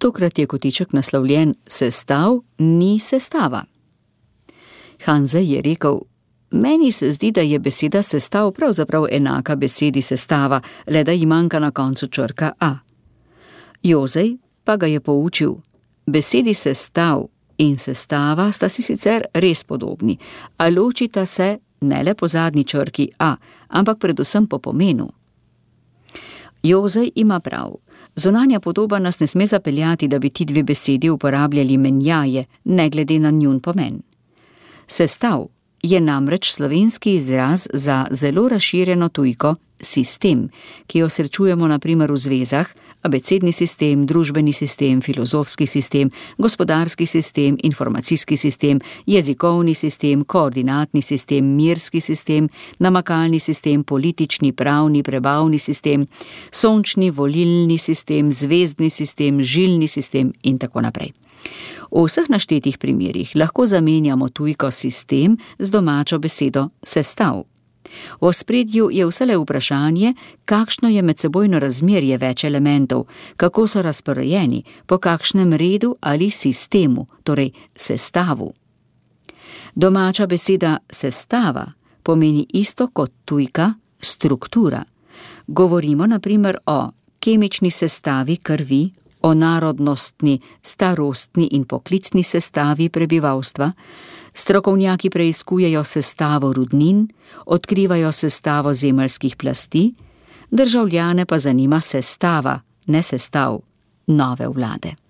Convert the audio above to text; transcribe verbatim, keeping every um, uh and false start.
Tokrat je kotiček naslovljen Sestav ni sestava. Hanze je rekel: Meni se zdi, da je beseda sestav pravzaprav enaka besedi sestava, le da ji manjka na koncu črka a. Jozej pa ga je poučil: besedi sestav in sestava sta si sicer res podobni, a ločita se ne le po zadnji črki a, ampak predvsem po pomenu. Jozej ima prav. Zunanja podoba nas ne sme zapeljati, da bi ti dve besedi uporabljali menjaje, ne glede na njun pomen. Sestav je namreč slovenski izraz za zelo razširjeno tujko sistem, ki jo srečujemo na primer v zvezah: abecedni sistem, družbeni sistem, filozofski sistem, gospodarski sistem, informacijski sistem, jezikovni sistem, koordinatni sistem, mirski sistem, namakalni sistem, politični, pravni, prebavni sistem, sončni, volilni sistem, zvezdni sistem, žilni sistem in tako naprej. V vseh naštetih primerih lahko zamenjamo tujko sistem z domačo besedo sestav. V ospredju je vselej vprašanje, kakšno je medsebojno razmerje več elementov, kako so razporejeni, po kakšnem redu ali sistemu, torej sestavu. Domača beseda sestava pomeni isto kot tujka struktura. Govorimo na primer o kemični sestavi krvi, o narodnostni, starostni in poklicni sestavi prebivalstva. Strokovnjaki preiskujejo sestavo rudnin, odkrivajo sestavo zemeljskih plasti, državljane pa zanima sestava, ne sestav, nove vlade.